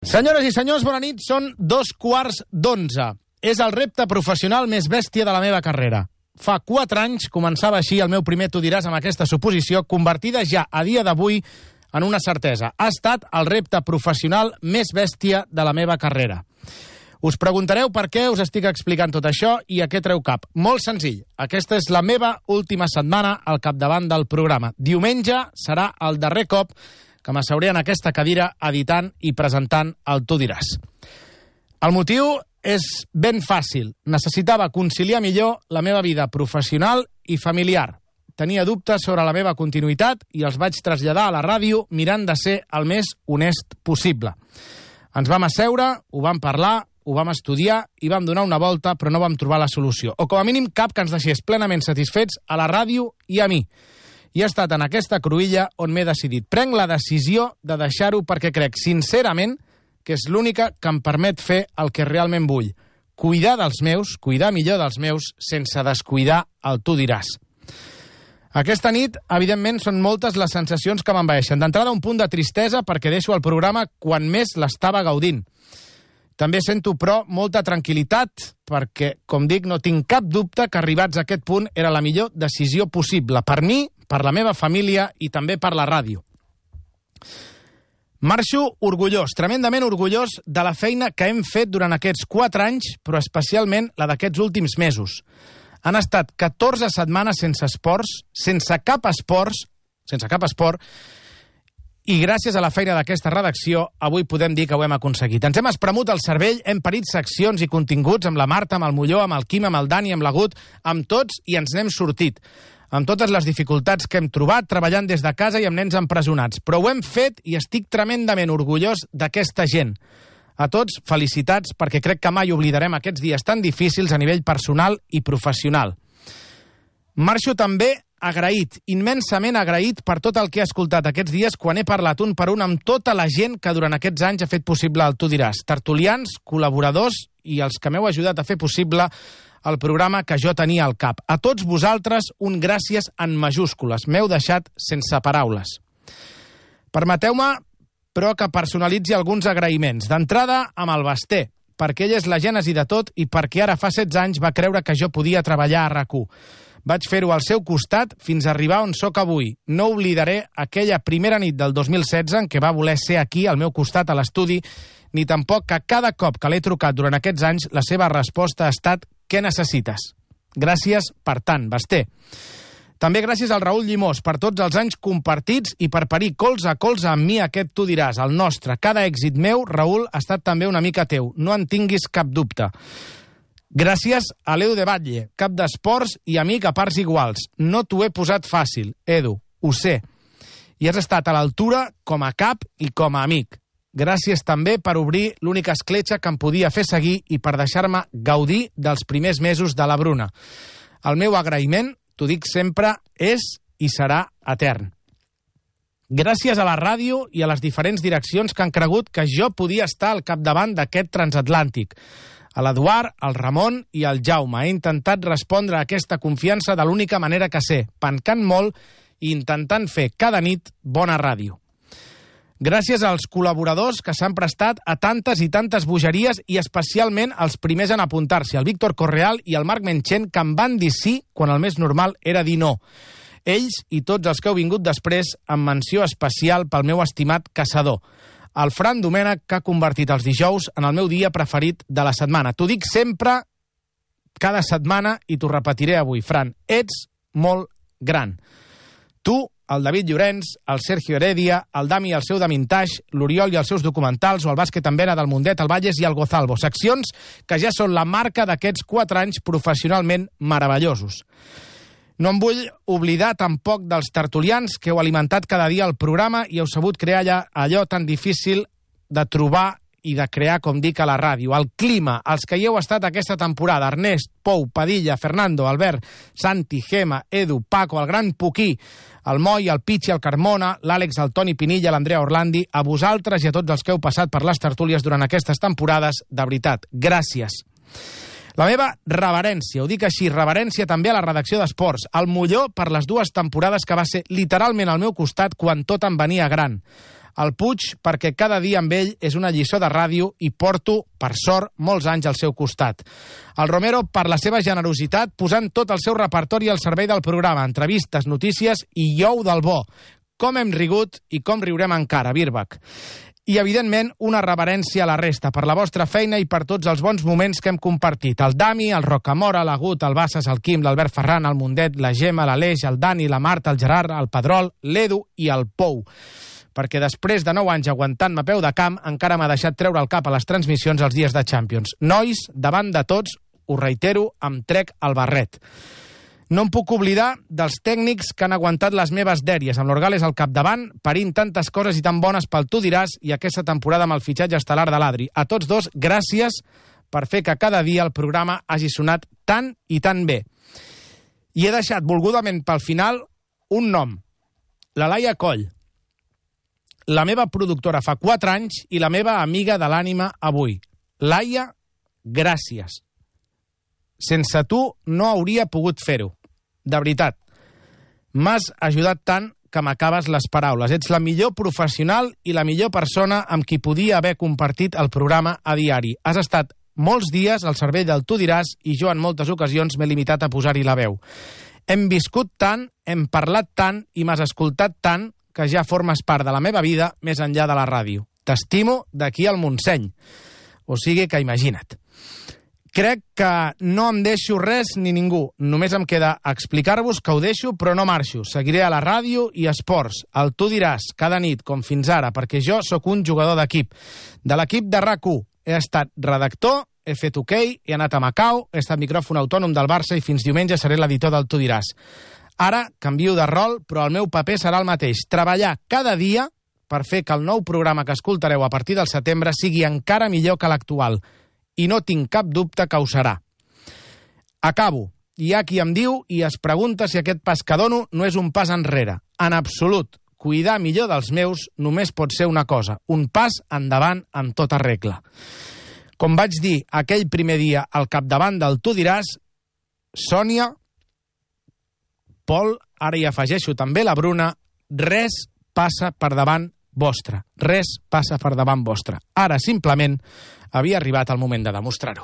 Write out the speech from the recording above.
Senyores i senyors, bona nit. Són 2:15. És el repte professional més bèstia de la meva carrera. Fa 4 anys començava així el meu primer Tu diràs amb aquesta suposició, convertida ja a dia d'avui en una certesa. Ha estat el repte professional més bèstia de la meva carrera. Us preguntareu per què us estic explicant tot això i a què treu cap. Molt senzill. Aquesta és la meva última setmana al capdavant del programa. Diumenge serà el darrer cop que m'asseuré en aquesta cadira editant i presentant el Tu diràs. El motiu és ben fàcil. Necessitava conciliar millor la meva vida professional i familiar. Tenia dubtes sobre la meva continuïtat i els vaig traslladar a la ràdio mirant de ser el més honest possible. Ens vam asseure, ho vam parlar, ho vam estudiar i vam donar una volta, però no vam trobar la solució. O com a mínim cap que ens deixés plenament satisfets a la ràdio i a mi. I ha estat en aquesta cruïlla on m'he decidit. Prenc la decisió de deixar-ho perquè crec, sincerament, que és l'única que em permet fer el que realment vull. Cuidar dels meus, cuidar millor dels meus, sense descuidar el Tu diràs. Aquesta nit, evidentment, són moltes les sensacions que m'envaeixen. D'entrada, un punt de tristesa perquè deixo el programa quan més l'estava gaudint. També sento, però, molta tranquil·litat perquè, com dic, no tinc cap dubte que arribats a aquest punt era la millor decisió possible per mi, per la meva família i també per la ràdio. Marxo orgullós, tremendament orgullós de la feina que hem fet durant aquests 4 anys, però especialment la d'aquests últims mesos. Han estat 14 setmanes sense esports, sense cap esport, i gràcies a la feina d'aquesta redacció, avui podem dir que ho hem aconseguit. Ens hem espremut el cervell, hem parit seccions i continguts amb la Marta, amb el Molló, amb el Quim, amb el Dani, amb l'Agut, amb tots, i ens n'hem sortit. Amb totes les dificultats que hem trobat, treballant des de casa i amb nens empresonats. Però ho hem fet i estic tremendament orgullós d'aquesta gent. A tots, felicitats, perquè crec que mai oblidarem aquests dies tan difícils a nivell personal i professional. Marxo també agraït, immensament agraït per tot el que he escoltat aquests dies quan he parlat un per un amb tota la gent que durant aquests anys ha fet possible el Tu diràs. Tertulians, col·laboradors i els que m'heu ajudat a fer possible el programa que jo tenia al cap. A tots vosaltres, un gràcies en majúscules. M'heu deixat sense paraules. Permeteu-me, però, que personalitzi alguns agraïments. D'entrada, amb el Basté, perquè ell és la gènesi de tot i perquè ara fa 16 anys va creure que jo podia treballar a RAC1. Vaig fer-ho al seu costat fins a arribar on sóc avui. No oblidaré aquella primera nit del 2016 en què va voler ser aquí, al meu costat, a l'estudi, ni tampoc que cada cop que l'he trucat durant aquests anys la seva resposta ha estat «Què necessites?». Gràcies per tant, Basté. També gràcies al Raül Llimós per tots els anys compartits i per parir colze a colze amb mi aquest Tu diràs, el nostre. Cada èxit meu, Raül, ha estat també una mica teu. No en tinguis cap dubte. Gràcies a l'Edu de Batlle, cap d'esports i amic a parts iguals. No t'ho he posat fàcil, Edu, ho sé. I has estat a l'altura com a cap i com a amic. Gràcies també per obrir l'única escletxa que em podia fer seguir i per deixar-me gaudir dels primers mesos de la Bruna. El meu agraïment, t'ho dic sempre, és i serà etern. Gràcies a la ràdio i a les diferents direccions que han cregut que jo podia estar al capdavant d'aquest transatlàntic. A l'Eduard, al Ramon i al Jaume. He intentat respondre a aquesta confiança de l'única manera que sé, pencant molt i intentant fer cada nit bona ràdio. Gràcies als col·laboradors que s'han prestat a tantes i tantes bogeries i especialment els primers en apuntar-s'hi, el Víctor Correal i el Marc Menchen, que em van dir sí quan el més normal era dir no. Ells i tots els que heu vingut després amb menció especial pel meu estimat caçador, el Fran Domènech, que ha convertit els dijous en el meu dia preferit de la setmana. T'ho dic sempre, cada setmana, i t'ho repetiré avui, Fran. Ets molt gran. Tu, el David Llorenç, el Sergio Heredia, el Dami i el seu Damintage, l'Oriol i els seus documentals, o el bàsquet en vena del Mundet, el Valles i el Gozalbo. Seccions que ja són la marca d'aquests 4 anys professionalment meravellosos. No em vull oblidar tampoc dels tertulians que heu alimentat cada dia el programa i heu sabut crear allò tan difícil de trobar i de crear, com dic, a la ràdio. El clima, els que hi heu estat aquesta temporada, Ernest, Pou, Padilla, Fernando, Albert, Santi, Gema, Edu, Paco, el gran Puquí, el Moi, el Pichi, el Carmona, l'Àlex, el Toni Pinilla, l'Andrea Orlandi, a vosaltres i a tots els que heu passat per les tertúlies durant aquestes temporades, de veritat, gràcies. La meva reverència, ho dic així, reverència també a la redacció d'Esports, al Molló per les 2 temporades que va ser literalment al meu costat quan tot em venia gran. El Puig, perquè cada dia amb ell és una lliçó de ràdio i porto, per sort, molts anys al seu costat. El Romero, per la seva generositat, posant tot el seu repertori al servei del programa, entrevistes, notícies i iou del bo. Com hem rigut i com riurem encara, Birbach. I, evidentment, una reverència a la resta per la vostra feina i per tots els bons moments que hem compartit. El Dami, el Rocamora, l'Agut, el Bassas, el Quim, l'Albert Ferran, el Mundet, la Gemma, l'Aleix, el Dani, la Marta, el Gerard, el Pedrol, l'Edu i el Pou. Perquè després de 9 anys aguantant-me a peu de camp, encara m'ha deixat treure el cap a les transmissions els dies de Champions. Nois, davant de tots, ho reitero, em trec el barret. No em puc oblidar dels tècnics que han aguantat les meves dèries, amb l'Orgales al capdavant, parint tantes coses i tan bones pel Tu diràs i aquesta temporada amb el fitxatge estel·lar de l'Adri. A tots dos, gràcies per fer que cada dia el programa hagi sonat tan i tan bé. I he deixat volgudament pel final un nom, la Laia Coll, la meva productora fa 4 anys i la meva amiga de l'ànima avui. Laia, gràcies. Sense tu no hauria pogut fer-ho. De veritat, m'has ajudat tant que m'acabes les paraules. Ets la millor professional i la millor persona amb qui podia haver compartit el programa a diari. Has estat molts dies al servei del Tu diràs i jo en moltes ocasions m'he limitat a posar-hi la veu. Hem viscut tant, hem parlat tant i m'has escoltat tant que ja formes part de la meva vida més enllà de la ràdio. T'estimo d'aquí al Montseny. O sigui que imagina't. Crec que no em deixo res ni ningú. Només em queda explicar-vos que ho deixo, però no marxo. Seguiré a la ràdio i esports. El Tu diràs, cada nit, com fins ara, perquè jo sóc un jugador d'equip. De l'equip de RAC1 he estat redactor, he fet hoquei, he anat a Macau, he estat micròfon autònom del Barça i fins diumenge seré l'editor del Tu diràs. Ara canvio de rol, però el meu paper serà el mateix. Treballar cada dia per fer que el nou programa que escoltareu a partir del setembre sigui encara millor que l'actual. I no tinc cap dubte que ho serà. Acabo. Hi ha qui em diu i es pregunta si aquest pas que dono no és un pas enrere. En absolut. Cuidar millor dels meus només pot ser una cosa, un pas endavant en tota regla. Com vaig dir aquell primer dia al capdavant del Tu diràs, Sònia, Pol, ara hi afegeixo també la Bruna, res passa per davant vostre. Res passa per davant vostre. Ara, simplement, havia arribat el moment de demostrar-ho.